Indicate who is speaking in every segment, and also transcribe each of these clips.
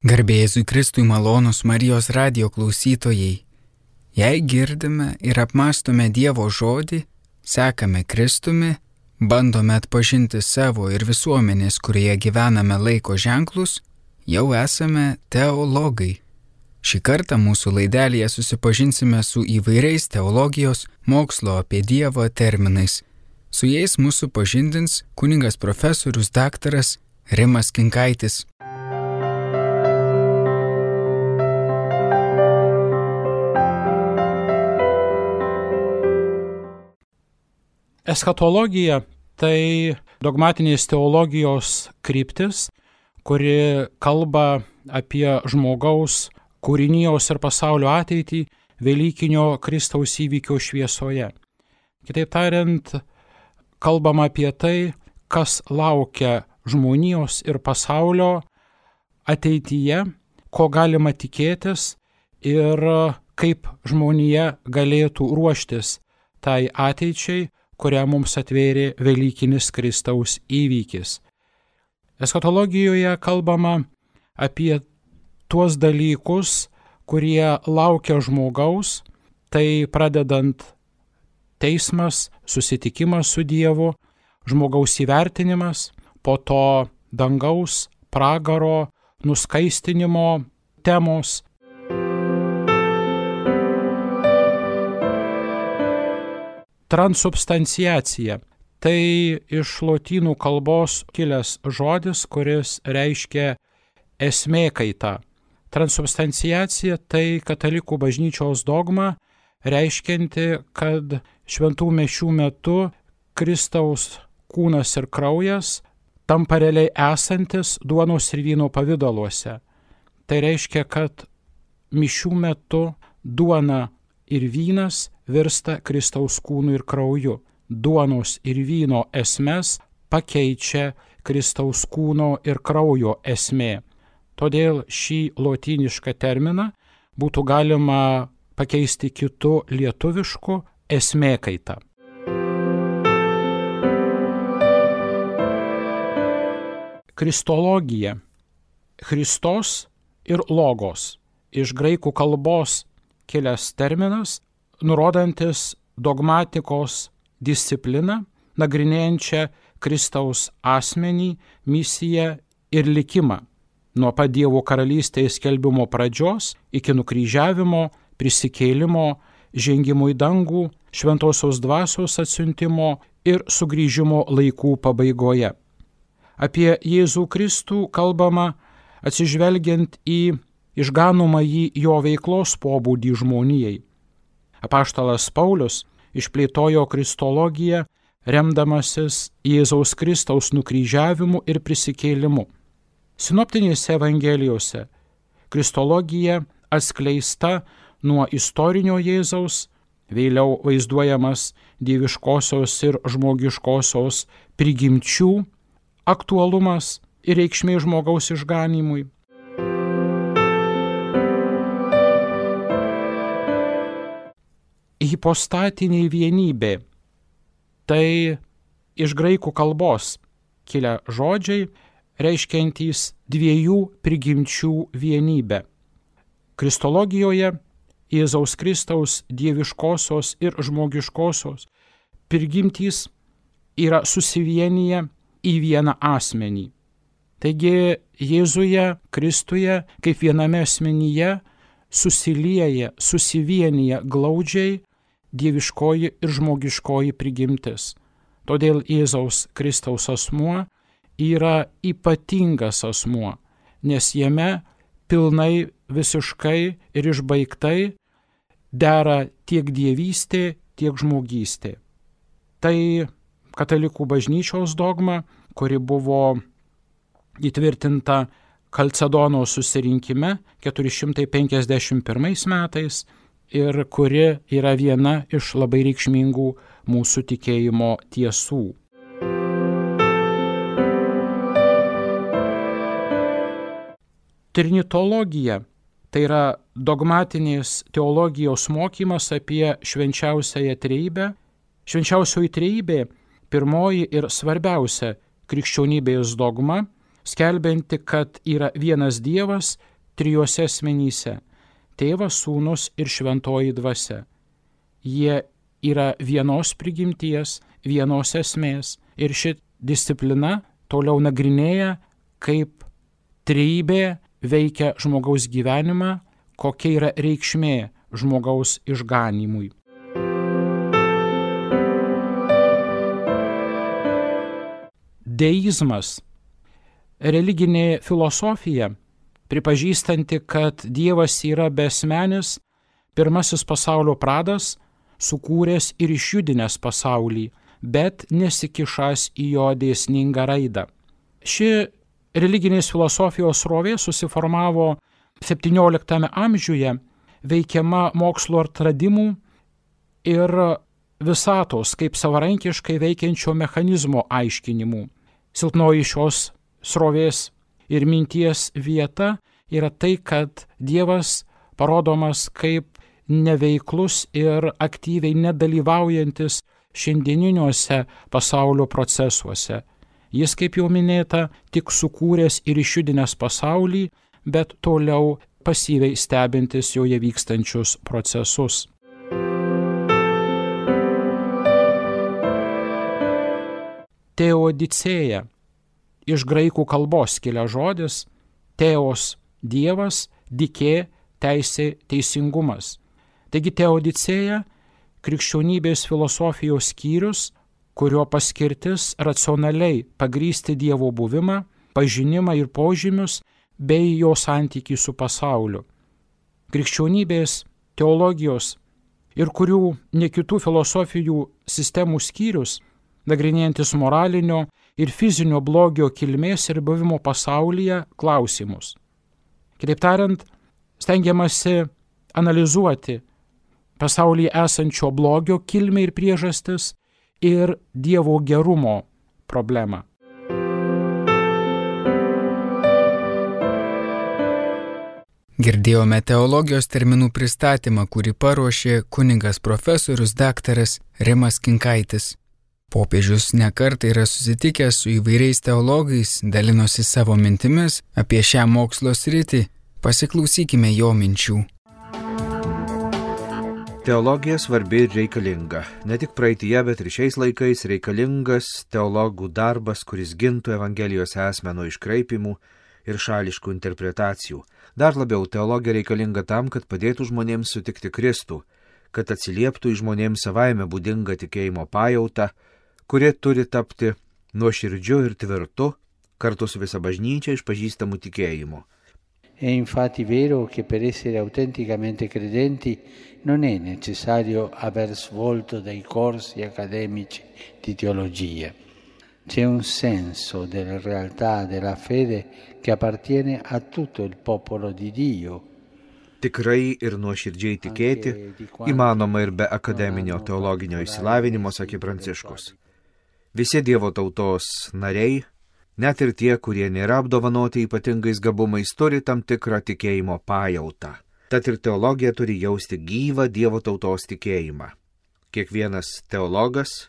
Speaker 1: Garbė Jėzui Kristui, malonūs Marijos radijo klausytojai. Jei girdime ir apmąstome Dievo žodį, sekame Kristumi, bandome atpažinti savo ir visuomenės, kurioje gyvename laiko ženklus, jau esame teologai. Šį kartą mūsų laidelėje susipažinsime su įvairiais teologijos, mokslo apie Dievą terminais. Su jais mūsų pažindins kunigas profesorius daktaras Rimas Kinkaitis.
Speaker 2: Eschatologija tai dogmatinės teologijos kryptis, kuri kalba apie žmogaus, kūrinijos ir pasaulio ateitį Velykinio Kristaus įvykio šviesoje. Kitaip tariant, kalbama apie tai, kas laukia žmonijos ir pasaulio ateityje, ko galima tikėtis ir kaip žmonija galėtų ruoštis tai ateičiai, kurią mums atvėrė Velykinis Kristaus įvykis. Eschatologijoje kalbama apie tuos dalykus, kurie laukia žmogaus, tai pradedant teismas, susitikimas su Dievu, žmogaus įvertinimas, po to dangaus, pragaro, nuskaistinimo temos. Transubstanciacija – tai iš lotynų kalbos kilęs žodis, kuris reiškia esmė kaita. Transubstanciacija – tai katalikų bažnyčios dogma, reiškianti, kad šventų mišių metu Kristaus kūnas ir kraujas tampa realiai esantis duonos ir vyno pavidaluose. Tai reiškia, kad mišių metu duona ir vynas virsta Kristaus kūnu ir krauju. Duonos ir vyno esmes pakeičia Kristaus kūno ir kraujo esmė. Todėl šį lotynišką terminą būtų galima pakeisti kitu lietuvišku esmė kaita. Kristologija. Christos ir logos. Iš graikų kalbos kilęs terminas, nurodantis dogmatikos discipliną, nagrinėjančią Kristaus asmenį, misiją ir likimą, nuo pat Dievo karalystės skelbimo pradžios iki nukryžiavimo, prisikėlimo, žengimo į dangų, šventosios dvasios atsiuntimo ir sugrįžimo laikų pabaigoje. Apie Jėzų Kristų kalbama atsižvelgiant į išganomąjį jo veiklos pobūdį žmonijai. Apaštalas Paulius išplėtojo kristologiją, remdamasis Jėzaus Kristaus nukryžiavimu ir prisikėlimu. Sinoptinėse evangelijose kristologija atskleista nuo istorinio Jėzaus, vėliau vaizduojamas dieviškosios ir žmogiškosios prigimčių aktualumas ir reikšmė žmogaus išganymui. Hipostatinė vienybė – tai iš graikų kalbos kilę žodžiai, reiškiantys dviejų prigimčių vienybę. Kristologijoje Jėzaus Kristaus dieviškosios ir žmogiškosios prigimtys yra susivienyje į vieną asmenį. Taigi Jėzuje, Kristuje, kaip viename asmenyje susilieja, susivienyje glaudžiai dieviškoji ir žmogiškoji prigimtis. Todėl Jėzaus Kristaus asmuo yra ypatingas asmuo, nes jame pilnai, visiškai ir išbaigtai dera tiek dievystė, tiek žmogystė. Tai katalikų bažnyčios dogma, kuri buvo įtvirtinta Kalcedono susirinkime 451 metais ir kuri yra viena iš labai reikšmingų mūsų tikėjimo tiesų. Trinitologija – tai yra dogmatinės teologijos mokymas apie švenčiausiąją trejybę. Švenčiausioji trejybė – pirmoji ir svarbiausia krikščionybės dogma, skelbianti, kad yra vienas Dievas, trijuose asmenyse - Tėvas, Sūnus ir Šventoji Dvasia. Jie yra vienos prigimties, vienos esmės ir ši disciplina toliau nagrinėja, kaip trejybė veikia žmogaus gyvenimą, kokia yra reikšmė žmogaus išganymui. Deizmas - religinė filosofija, pripažįstanti, kad Dievas yra besmenis, pirmasis pasaulio pradas, sukūręs ir išjudinęs pasaulį, bet nesikišęs į jo dėsningą raidą. Ši religinės filosofijos srovė susiformavo XVII amžiuje, veikiama mokslo atradimų ir visatos kaip savarankiškai veikiančio mechanizmo aiškinimų. Silpnoji šios srovės ir minties vieta yra tai, kad Dievas parodomas kaip neveiklus ir aktyviai nedalyvaujantis šiandieniniuose pasaulio procesuose. Jis, kaip jau minėta, tik sukūręs ir išjudinęs pasaulį, bet toliau pasyviai stebintis joje vykstančius procesus. Teodicėja - iš graikų kalbos kilęs žodis, teos - Dievas, dikė - teisė, teisingumas. Taigi teodicėja - krikščionybės filosofijos skyrius, kurio paskirtis racionaliai pagrįsti Dievo buvimą, pažinimą ir požymius bei jo santykį su pasauliu. Krikščionybės, teologijos ir kurių ne kitų filosofijų sistemų skyrius, nagrinėjantis moralinio ir fizinio blogio kilmės ir buvimo pasaulyje klausimus. Kitaip tariant, stengiamasi analizuoti pasaulyje esančio blogio kilmę ir priežastis ir Dievo gerumo problemą.
Speaker 1: Girdėjome teologijos terminų pristatymą, kurį paruošė kunigas profesorius daktaras Rimas Kinkaitis. Popiežius nekartą yra susitikęs su įvairiais teologais, dalinosi savo mintimis apie šią mokslo sritį. Pasiklausykime jo minčių.
Speaker 3: Teologija svarbi ir reikalinga. Ne tik praeityje, bet ir šiais laikais reikalingas teologų darbas, kuris gintų Evangelijos esmę nuo iškraipimų ir šališkų interpretacijų. Dar labiau teologija reikalinga tam, kad padėtų žmonėms sutikti Kristų, kad atsilieptų į žmonėms savaime būdingą tikėjimo pajautą, kuri turi tapti nuoširdžiu ir tvirtu, kartu su visa bažnyčia išpažįstamu tikėjimu.
Speaker 4: È infatti vero che per essere autenticamente credenti non è necessario aver svolto dei corsi accademici di teologia. C'è un senso della realtà della fede che appartiene a tutto il popolo di Dio.
Speaker 3: Tikrai ir nuoširdžiai tikėti įmanoma ir be akademinio teologinio išsilavinimo, sakė Pranciškus. Visi Dievo tautos nariai, net ir tie, kurie nėra apdovanoti ypatingais gabumais, turi tam tikrą tikėjimo pajautą. Tad ir teologija turi jausti gyvą Dievo tautos tikėjimą. Kiekvienas teologas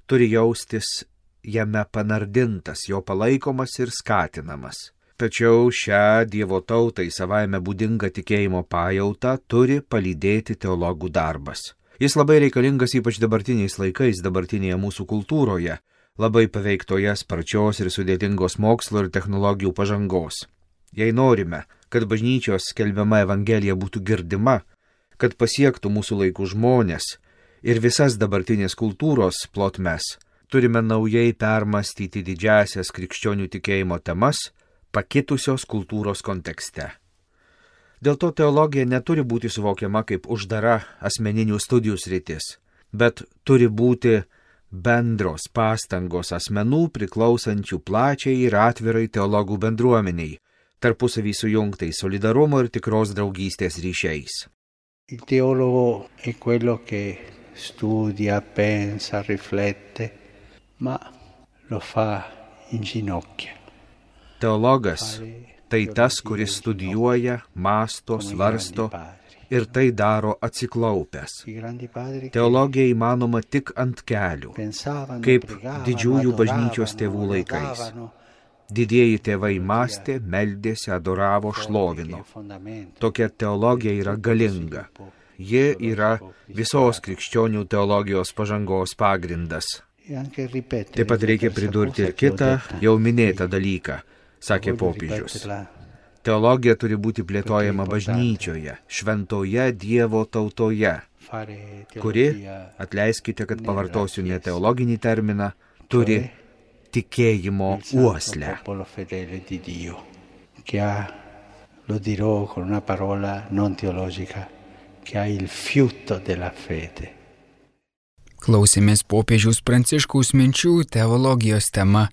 Speaker 3: turi jaustis jame panardintas, jo palaikomas ir skatinamas. Tačiau šią Dievo tautai savaime būdingą tikėjimo pajautą turi palydėti teologų darbas. Jis labai reikalingas ypač dabartiniais laikais, dabartinėje mūsų kultūroje, labai paveiktoje sparčios ir sudėtingos mokslo ir technologijų pažangos. Jei norime, kad bažnyčios skelbiama Evangelija būtų girdima, kad pasiektų mūsų laikų žmonės ir visas dabartinės kultūros plotmes, turime naujai permastyti didžiasias krikščionių tikėjimo temas, pakitusios kultūros kontekste. Dėl to teologija neturi būti suvokiama kaip uždara asmeninių studijų sritis, bet turi būti bendros pastangos asmenų priklausančių plačiai ir atvirai teologų bendruomeniai, tarpusavį sujungtai solidarumo ir tikros draugystės ryšiais.
Speaker 4: Il teologo è quello che studia, pensa, riflette, ma lo fa in ginocchio.
Speaker 3: Teologas tai tas, kuris studijuoja, mąsto, svarsto ir tai daro atsiklaupęs. Teologija įmanoma tik ant kelių, kaip didžiųjų bažnyčios tėvų laikais. Didieji tėvai mąstė, meldėsi, adoravo, šlovino. Tokia teologija yra galinga. Ji yra visos krikščionių teologijos pažangos pagrindas. Taip pat reikia pridurti ir kitą jau minėtą dalyką, sakė popiežius. Teologija turi būti plėtojama bažnyčioje, šventoje Dievo tautoje, kuri, atleiskite, kad pavartosiu ne teologinį terminą, turi tikėjimo uoslę.
Speaker 4: Lo dirò con una parola non teologica, che ha il fiuto della fede.
Speaker 1: Klausėmės popiežiaus Pranciškaus minčių teologijos tema